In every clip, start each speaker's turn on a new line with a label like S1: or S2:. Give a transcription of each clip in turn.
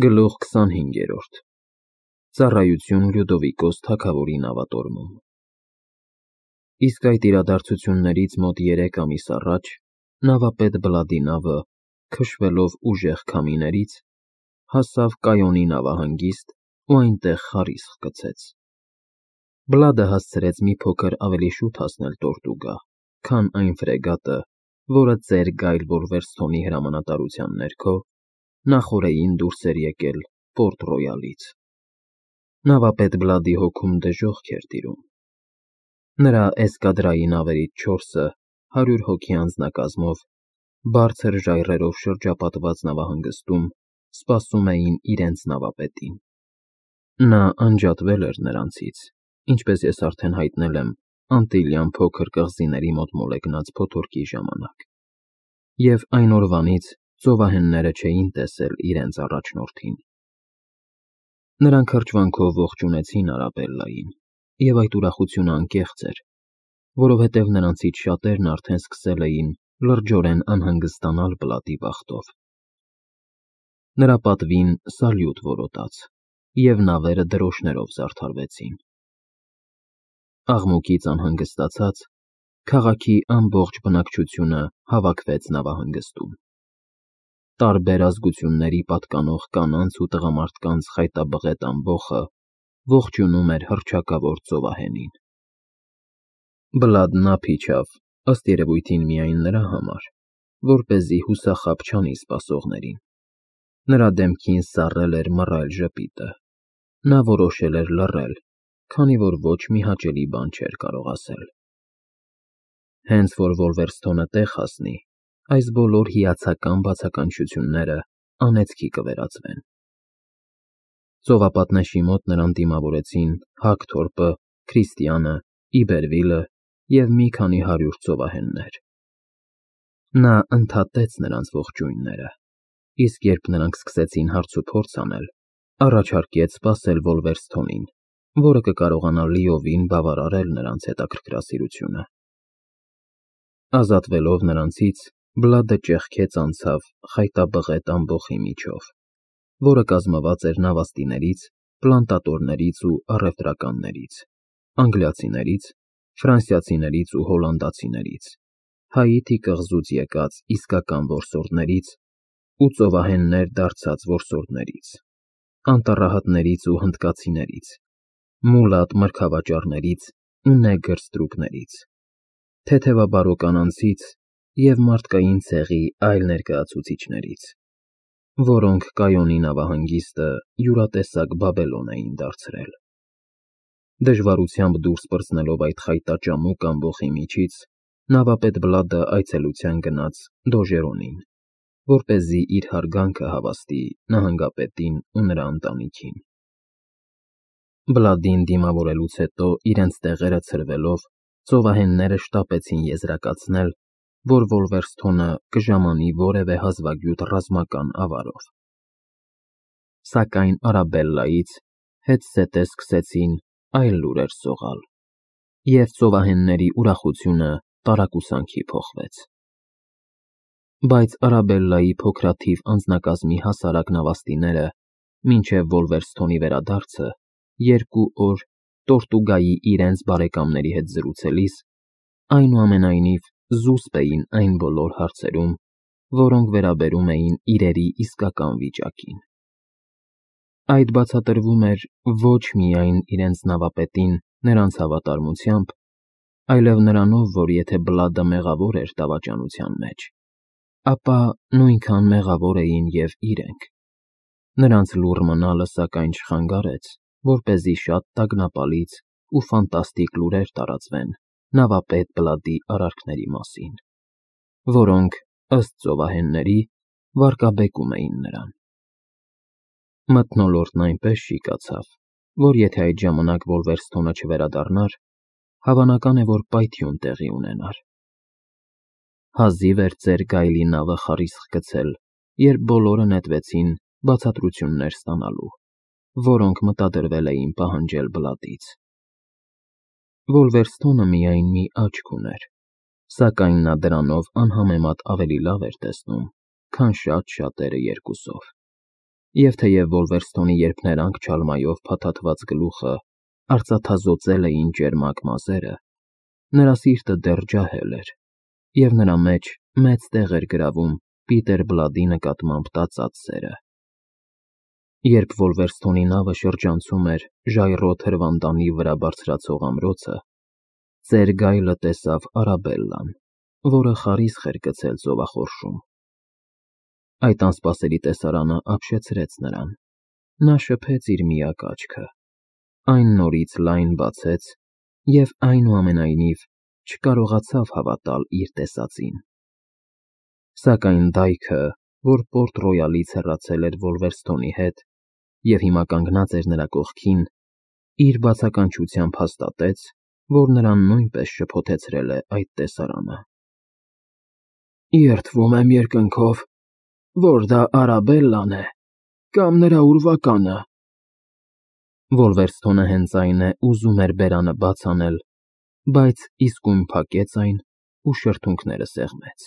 S1: Գլուխ 25 Ծառայություն Լյուդովիկոս թագավորի նավատորմում Իսկ այդ իրադարձություններից մոտ 3 ամիս առաջ նավապետ Բլադի նավը, քշվելով ուժեղ քամիներից, հասավ Կայոնի նավահանգիստ ու այնտեղ խարիսխ գցեց։ Բլադը հասցրեց մի փոքր ավելի շուտ հասնել Տորտուգա, քան այն ֆրեգատը, որը ծեր Գայլ Վոլվերսթոնի հրամանատարության ներքո նախօրեին դուրս էր եկել Պորտ Ռոյալից։ Նավապետ Բլադի հոգում դժոխք էր տիրում։ Նրա էսկադրայի նավերից 4-ը 100 հոգի անձնակազմով, բարձր ժայռերով շրջապատված նավահանգստում սպասում էին իրենց նավապետին։ Նա անջատվել էր նրանցից, ինչպես ես արդեն հայտնել եմ Անտիլյան փոքր կղզիների մոտ մոլեգնած փոթորկի ժամանակ, և այն օրվանից ծովահենները չէին տեսել իրենց առաջնորդին։ Նրանք հրճվանքով ողջունեցին Արաբելլային, և այդ ուրախությունը անկեղծ էր, որովհետև նրանցից շատերն արդեն սկսել էին լրջորեն անհանգստանալ Բլադի բախտով։ Նրա պատվին սալյուտ որոտաց, և նավերը դրոշներով զարդարվեցին։ Աղմուկից անհանգստացած, քաղաքի ամբողջ բնակչությունը հավաքվեց նավահանգստում։ Տարբեր ազգությունների պատկանող կանանց ու տղամարդկանց խայտաբղետ ամբոխը ողջունում էր հռչակավոր ծովահենին։ Բլադն ափ իջավ, ըստ երևույթին միայն նրա համար, որպեսզի հուսախաբ չանի սպասողներին։ Նրա դեմքին սառել էր մռայլ ժպիտը։ Նա որոշել էր լռել, քանի որ ոչ մի հաճելի բան չէր կարող ասել։ Հենց որ Վոլվերսթոնը տեղ հասնի, այս բոլոր հիացական բացականչությունները անեծքի կվերածվեն։ Ծովապատնեշի մոտ նրան դիմավորեցին Հագթորպը, Քրիստիանը, Իբերվիլը և մի քանի 100 ծովահեններ։ Նա ընդհատեց նրանց ողջույնները, իսկ երբ նրանք սկսեցին հարցուփորձ անել, առաջարկեց սպասել Վոլվերսթոնին, որը կկարողանա լիովին բավարարել նրանց հետաքրքրասիրությունը։ Ազատվելով նրանցից, Բլադը ճեղքեց անցավ խայտաբղետ ամբոխի միջով, որը կազմված էր նավաստիներից, պլանտատորներից ու առևտրականներից, անգլիացիներից, ֆրանսիացիներից ու հոլանդացիներից, Հայիթի կղզուց եկած իսկական որսորդներից ու ծովահեններ դարձած որսորդներից, անտառահատներից ու հնդկացիներից, մուլատ մրգավաճառներից ու նեգր ստրուկներից, թեթևաբարո կանանցից և մարդկային ցեղի այլ ներկայացուցիչներից, որոնք Կայոնի նավահանգիստը յուրատեսակ Բաբելոն էին դարձրել։ Դժվարությամբ դուրս պրծնելով այդ խայտաճամուկ ամբոխի միջից, նավապետ Բլադը այցելության գնաց Դոժերոնին, որպեսզի իր հարգանքը հավաստի նահանգապետին ու նրա ընտանիքին։ Բլադին դիմավորելուց հետո իրենց տեղերը ցրվելով, ծովահենները շտապեցին եզրակացնել, որ Վոլվերսթոնը կժամանի որևէ հազվագյուտ ռազմական ավարով։ Սակայն Արաբելլայից հետզհետե սկսեցին այլ լուրեր սողալ, և ծովահենների ուրախությունը տարակուսանքի փոխվեց։ Բայց Արաբելլայի փոքրաթիվ անձնակազմի հասարակ նավաստիները մինչև Վոլվերսթոնի վերադարձը 2 օր Տորտուգայի իրենց բարեկամների հետ զրուցելիս, այնուամենայնիվ զուսպ էին այն բոլոր հարցերում, որոնք վերաբերում էին իրերի իսկական վիճակին։ Այդ բացատրվում էր ոչ միայն իրենց նավապետին նրանց հավատարմությամբ, այլև նրանով, որ եթե Բլադը մեղավոր էր դավաճանության մեջ, ապա նույնքան մեղավոր էին և իրենք։ Նրանց լուռ մնալը, սակայն, չխանգարեց, որպեսզի շատ տագնապալից ու ֆանտաստիկ լուրեր տարածվեն նավապետ Բլադի արարքների մասին, որոնք, ըստ ծովահենների, վարկաբեկում էին նրան։ Մթնոլորտն այնպես շիկացավ, որ եթե այդ ժամանակ Վոլվերսթոնը չվերադառնար, հավանական է, որ պայթյուն տեղի ունենար։ Հազիվ էր ծեր Գայլի նավը խարիսխ գցել, երբ բոլորը նետվեցին բացատրություններ ստանալու, որոնք մտադրվել էին պահանջել Բլադից։ Վոլվերսթոնը միայն մի աչք ուներ, սակայն նա դրանով անհամեմատ ավելի լավ էր տեսնում, քան շատ շատերը երկուսով։ Եվ թեև Վոլվերստոնի երփներանգ չալմայով փաթաթված գլուխը արծաթազօծել էին ճերմակ մազերը, նրա սիրտը դեռ ջահել էր, և նրա մեջ մեծ տեղ էր գրավում Պիտեր Բլադի նկատմամբ տածած սերը։ Երբ Վոլվերստոնի նավը շրջանցում էր ժայռոտ հրվանդանի վրա բարձրացող ամրոցը, ծեր Գայլը տեսավ Արաբելլան, որը խարիսխ էր գցել ծովախորշում։ Այդ անսպասելի տեսարանը ապշեցրեց նրան։ Նա շփեց իր միակ աչքը, այն նորից լայն բացեց և այնուամենայնիվ չկարողացավ հավատալ իր տեսածին։ Սակայն դայքը, որ Պորտ Ռոյալից հեռացել էր Վոլվերստոնի հետ և հիմա կանգնած էր նրա կողքին, իր բացականչությամբ հաստատեց, որ նրան նույնպես շփոթեցրել է այդ տեսարանը։ Երդվում եմ երկնքով, որ դա Արաբելլան է կամ նրա ուրվականը։ Վոլվերստոնը հենց այն է ուզում էր բերանը բաց անել, բայց իսկույն փակեց այն ու շրթունքները սեղմեց։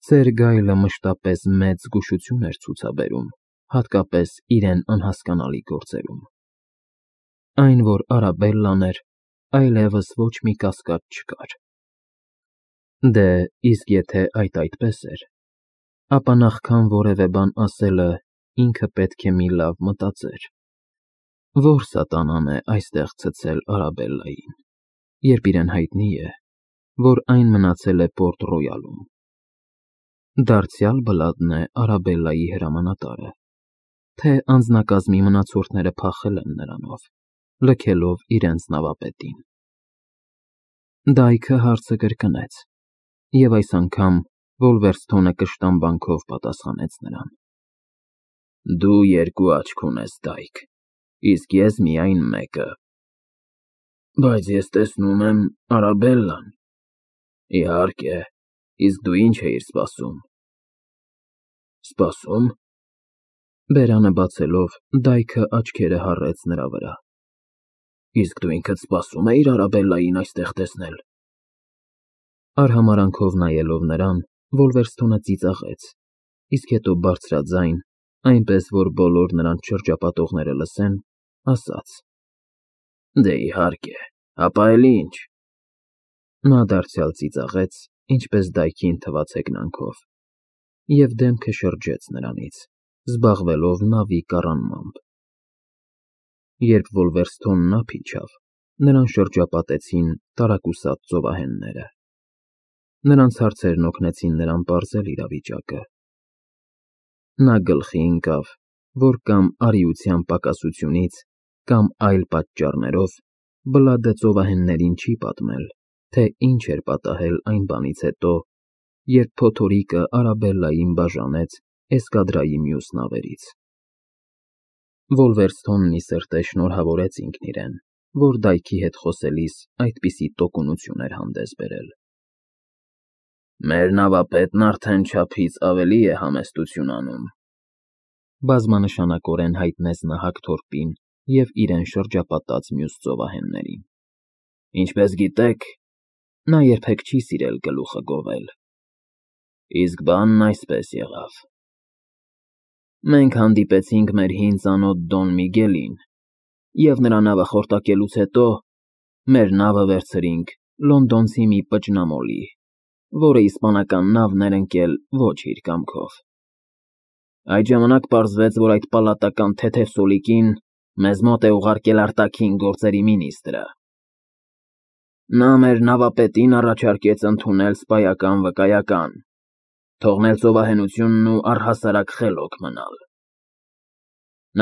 S1: Ծեր Գայլը մշտապես մեծ զգուշություն էր ցուցաբերում, հատկապես իրեն անհասկանալի գործերում։ Այն, որ Արաբելլան էր, այլևս ոչ մի կասկած չկար։ Դե, իսկ եթե այդպես էր, ապա նախքան որևէ բան ասելը ինքը պետք է մի լավ մտածեր. Որ սատանան է այստեղ ցցել Արաբելլային, երբ իրեն հայտնի է, որ այն մնացել է Պորտ Ռոյալում։ Դարձյալ Բլադն է Արաբելլայի հրամանատարը, թե անձնակազմի մնացորդները փախել են նրանով, լքելով իրենց նավապետին։ Դայքը հարցը կրկնեց, և այս անգամ Վոլվերստոնը կշտամբանքով պատասխանեց նրան. Դու երկու աչք ունես, Դայք, իսկ ես միայն մեկը։ Բայց ես տեսնում եմ Արաբելլան։ Իհարկե, իսկ դու ինչ էիր սպասում։ Սպասում։ Բերանը բացելով, Դայքը աչքերը հառեց նրա վրա։ Իսկ դու ինքդ սպասում էիր Արաբելլային այստեղ տեսնել։ Արհամարանքով նայելով նրան, Վոլվերստոնը ծիծաղեց, իսկ հետո բարձրաձայն, այնպես որ բոլոր նրան շրջապատողները լսեն, ասաց. Դե իհարկե, հապա էլ ինչ։ Նա դարձյալ ծիծաղեց, ինչպես Դայքին թվաց հեգնանքով, և դեմքը շրջեց նրանից, զբաղվելով նավի կառանմամբ։ Երբ Վոլվերստոնն ափ իջավ, նրան շրջապատեցին տարակուսած ծովահենները։ Նրանց հարցերն օգնեցին նրան պարզել իրավիճակը։ Նա գլխի ընկավ, որ կամ արիության պակասությունից, կամ այլ պատճառներով Բլադը ծովահեններին չի պատմել, թե ինչ էր պատահել այն բանից հետո, երբ փոթորիկը Արաբելլային բաժանեց էսկադրայի մյուս նավերից։ Վոլվերստոնն ի սրտե շնորհավորեց ինքն իրեն, որ Դայքի հետ խոսելիս այդպիսի տոկունություն էր հանդես բերել։ Մեր նավապետն արդեն չափից ավելի է համեստություն անում, բազմանշանակորեն հայտնեց նա Հակթորպին և իրեն շրջապատած մյուս ծովահեններին։ Ինչպես գիտեք, նա երբեք չի սիրել գլուխը գովել։ Իսկ բանն այսպես եղավ. Մենք հանդիպեցինք մեր հին ծանոթ Դոն Միգելին, և նրա նավը խորտակելուց հետո մեր նավը վերցրինք լոնդոնցի մի պճնամոլի, որը իսպանական նավն էր ընկել ոչ իր կամքով։ Այդ ժամանակ պարզվեց, որ այդ պալատական թեթև սոլիկին մեզ մոտ է ուղարկել արտաքին գործերի մինիստրը։ Նա մեր նավապետին առաջարկեց ընդունել սպայական վկայական, թողնել ծովահենությունն ու առհասարակ խելոք մնալ։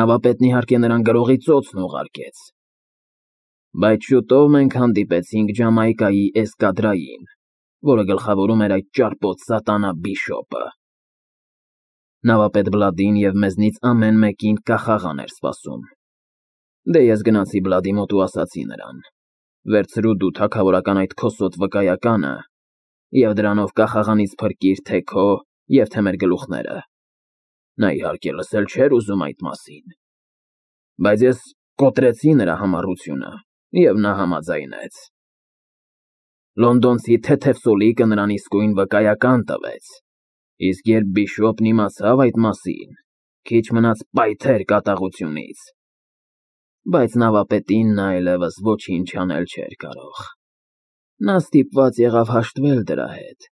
S1: Նավապետն իհարկե նրան գրողի ծոցն ուղարկեց։ Բայց շուտով մենք հանդիպեցինք Ջամայկայի էսկադրային, որը գլխավորում էր այդ ճարպոտ սատանա Բիշոպը։ Նավապետ Բլադին և մեզնից ամեն մեկին կախաղան էր սպասում։ Դե ես գնացի Բլադի մոտ ու ասացի նրան. վերցրու դու թագավորական այդ քոսոտ վկայականը և դրանով կախաղանից փրկիր թե քո և թե մեր գլուխները։ Նա իհարկե լսել չէր ուզում այդ մասին, բայց ես կոտրեցի նրա համառությունը, և նա համաձայնեց։ Լոնդոնցի թեթև սոլիկը նրան իսկույն վկայական տվեց, իսկ երբ Բիշոպն իմացավ այդ մասին, Քիչ մնաց պայթեր կատաղությունից։ Բայց նավապետին նա այլևս ոչինչ անել չէր կարող։ Նա ստիպված եղավ հաշտվել դրա հետ։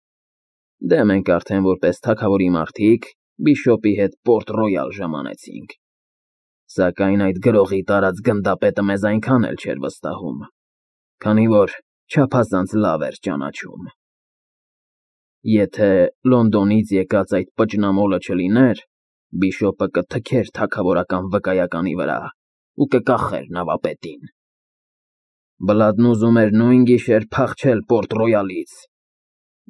S1: Դե մենք արդեն որպես թագավորի մարդիկ Բիշոպի հետ Պորտ Ռոյալ ժամանեցինք։ Սակայն այդ գրողի տարած գնդապետը մեզ այնքան էլ չէր վստահում, քանի որ չափազանց լավ էր ճանաչում։ Եթե Լոնդոնից եկած այդ պճնամոլը չլիներ, Բիշոպը կթքեր թագավորական վկայականի վրա ու կկախեր նավապետին։ Բլադն ուզում էր նույն գիշեր փախչել Պորտ Ռոյալից,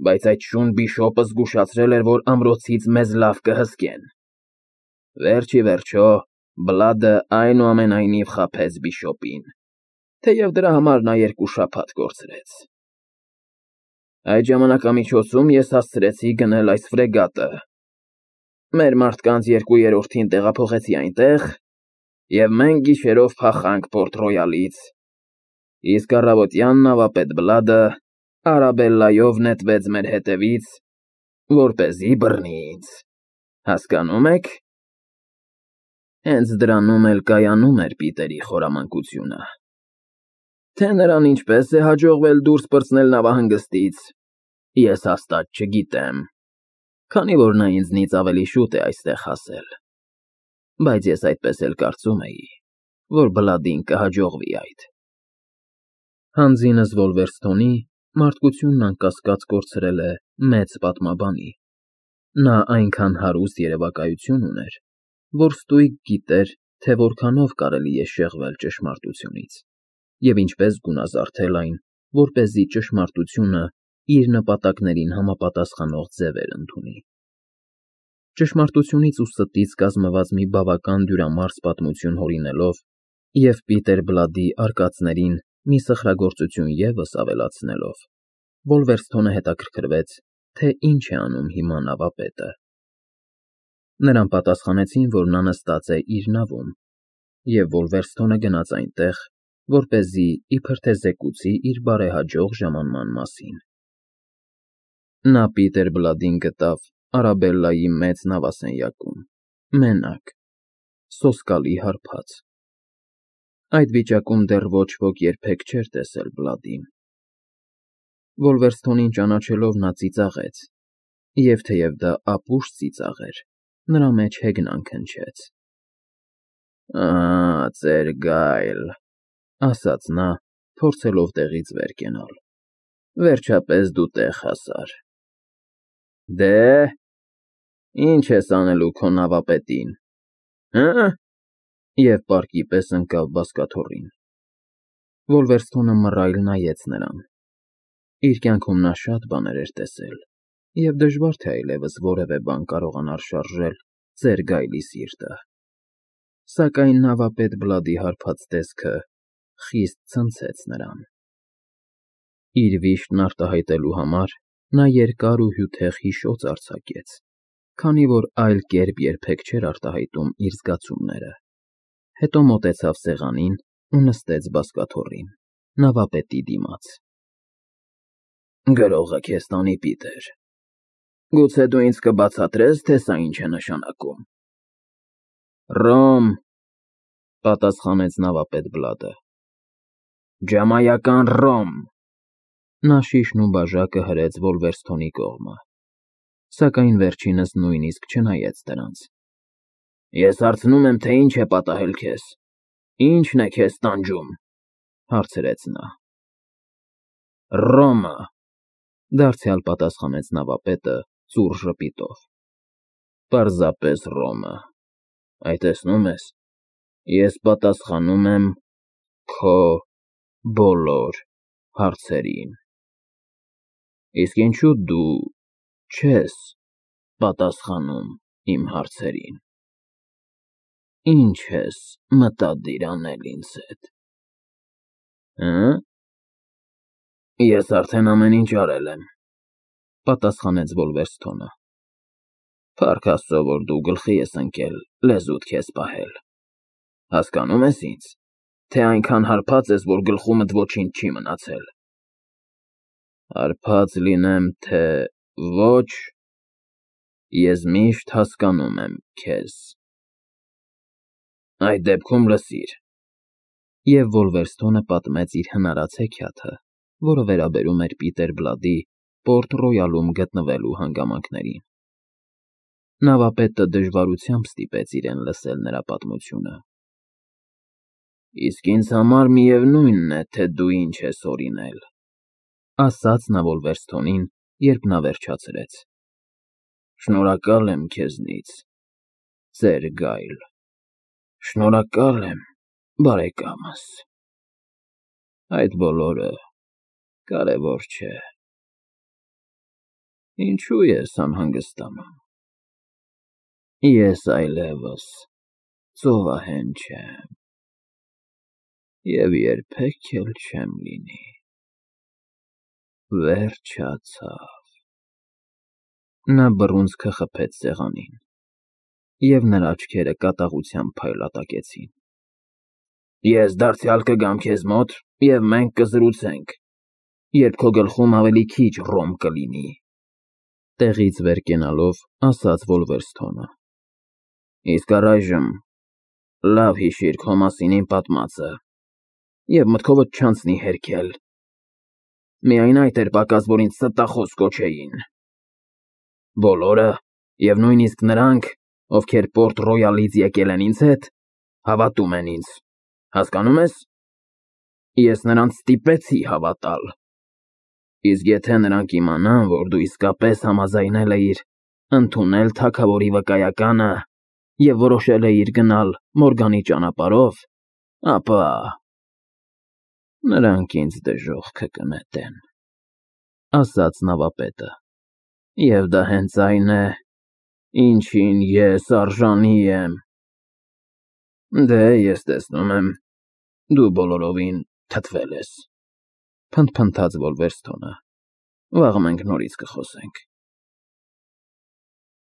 S1: բայց այդ շուն Բիշոպը զգուշացրել էր, որ ամրոցից մեզ լավ կհսկեն։ Վերջ ի վերջո, Բլադը այնուամենայնիվ խաբեց Բիշոպին, թեև դրա համար նա 2 շաբաթ կորցրեց։ Այդ ժամանակամիջոցում ես հասցրեցի գնել այս ֆրեգատը։ Մեր մարդկանց 2/3-ին տեղափոխեցի այնտեղ, և մենք գիշերով փախանք Պորտ Ռոյալից, իսկ առավոտյան նավապետ Բլադը Արաբելլայով նետվեց մեր հետևից, որպեսզի բռնի ինձ։ Հասկանո՞ւմ եք։ Հենց դրանում էլ կայանում էր Պիտերի խորամանկությունը։ Թե նրան ինչպես է հաջողվել դուրս պրծնել նավահանգստից, ես հաստատ չգիտեմ, քանի որ նա ինձնից ավելի շուտ է այստեղ հասել։ Բայց ես այդպես էլ կարծում էի, որ Բլադին կհաջողվի այդ։ Հանձինս Վոլվերստոնի մարդկությունն անկասկած կորցրել է մեծ պատմաբանի։ Նա այնքան հարուստ երևակայություն ուներ, որ ստույգ գիտեր, թե որքանով կարելի է շեղվել ճշմարտությունից, և ինչպես գունազարդել այն, որպեսզի ճշմարտությունը իր նպատակներին համապատասխանող ձևեր ընդունի։ Ճշմարտությունից ու ստից կազմված մի բավական դյուրամարս պատմություն հորինելով և Պիտեր Բլադի արկածներին մի սխրագործություն ևս ավելացնելով, Վոլվերստոնը հետաքրքրվեց, թե ինչ է անում հիմա նավապետը։ Նրան պատասխանեցին, որ նա նստած է իր նավում, և Վոլվերստոնը գնաց այնտեղ, որպեսզի իբր թե զեկուցի իր բարեհաջող ժամանման մասին։ Նա Պիտեր Բլադին գտավ Արաբելլայի մեծ նավասենյակում, մենակ, սոսկալի հարբած։ Այդ վիճակում դեռ ոչ ոք երբեք չէր տեսել Բլադին։ Վոլվերստոնին ճանաչելով նա ծիծաղեց, և թեև դա ապուշ ծիծաղ էր, նրա մեջ հեգնանք հնչեց։ Ծեր Գայլ, ասաց նա, փորձելով տեղից վեր կենալ, վերջապես դու տեղ հասար։ Դե, ինչ ես անելու քո նավապետին, հը՞։ Եվ պարկի պես ընկավ բազկաթոռին։ Վոլվերստոնը մռայլ նայեց նրան։ Իր կյանքում նա շատ բաներ էր տեսել, և դժվար թե այլևս որևէ բան կարողանար շարժել ծեր Գայլի սիրտը։ Սակայն նավապետ Բլադի հարբած տեսքը խիստ ցնցեց նրան։ Իր վիշտն արտահայտելու համար նա երկար ու հյութեղ հիշոց արձակեց, քանի որ այլ կերպ երբեք չէր արտահայտում իր զգացումները։ Հետո մոտեցավ սեղանին ու նստեց բազկաթոռին, նավապետի դիմաց։ Գրողը քեզ տանի, Պիտեր։ Գուցե դու ինձ կբացատրես, թե սա ինչ է նշանակում։ Ռոմ, պատասխանեց նավապետ Բլադը։ Ջամայական Ռոմ։ Նա շիշն ու բաժակը հրեց Վոլվերստոնի կողմը, սակայն վերջինս նույնիսկ չնայեց դրանց։ Ես հարցնում եմ, թե ինչ է պատահել քեզ, ի՞նչն է քեզ տանջում, հարցրեց նա։ Ռոմը, դարձյալ պատասխանեց նավապետը ծուռ ժպիտով։ Պարզապես Ռոմը։ Այ տեսնում ես, ես պատասխանում եմ քո բոլոր հարցերին։ Իսկ ինչու դու չես պատասխանում իմ հարցերին։ Ինչ ես մտադիր անել ինձ հետ։ Հը՞։ Ես արդեն ամեն ինչ արել եմ, պատասխանեց Վոլվերստոնը։ Փառք Աստծո, որ դու գլխի ես ընկել լեզուդ քեզ պահել։ Հասկանո՞ւմ ես ինձ, թե այնքան հարբած ես, որ գլխումդ ոչինչ չի մնացել։ Հարբած լինեմ, թե ոչ, ես միշտ հասկանում եմ քեզ։ Այդ դեպքում լսիր։ Եվ Վոլվերստոնը պատմեց իր հնարած հեքիաթը, որը վերաբերում էր Պիտեր Բլադի Պորտ Ռոյալում գտնվելու հանգամանքներին։ Նավապետը դժվարությամբ ստիպեց իրեն լսել նրա պատմությունը։ Իսկ ինձ համար միևնույնն է, թե դու ինչ ես օրինել, ասաց նա Վոլվերստոնին, երբ նա վերջացրեց։ Շնորհակալ եմ քեզնից, ծեր Գայլ։ Շնորհակալ եմ, բարեկամս։ Այդ բոլորը կարևոր չէ։ Ինչու ես անհանգստանում։ Ես այլևս ծովահեն չեմ, և երբեք էլ չեմ լինի։ Վերջացավ։ Նա բռունցքը խփեց սեղանին, և նրա աչքերը կատաղությամբ փայլատակեցին։ Ես դարձյալ կգամ քեզ մոտ, և մենք կզրուցենք, երբ քո գլխում ավելի քիչ ռոմ կլինի, տեղից վեր կենալով ասաց Վոլվերստոնը։ Իսկ առայժմ լավ հիշիր քո մասին իմ պատմածը, և մտքովդ չանցնի հերքել։ Միայն այդ էր պակաս, որ ինձ ստախոս կոչեին։ Բոլորը, և նույնիսկ նրանք, ովքեր Պորտ Ռոյալից եկել են ինձ հետ, հավատում են ինձ, հասկանում ես։ Ես նրանց ստիպեցի հավատալ։ Իսկ եթե նրանք իմանան, որ դու իսկապես համաձայնել էիր ընդունել թագավորի վկայականը և որոշել էիր գնալ Մորգանի ճանապարհով, ապա նրանք ինձ դժոխքը կնետեն, ասաց նավապետը, և դա հենց այն է, ինչին ես արժանի եմ։ Դե, ես տեսնում եմ, դու բոլորովին թթվել ես, փնթփնթաց Վոլվերստոնը։ Վաղը մենք նորից կխոսենք։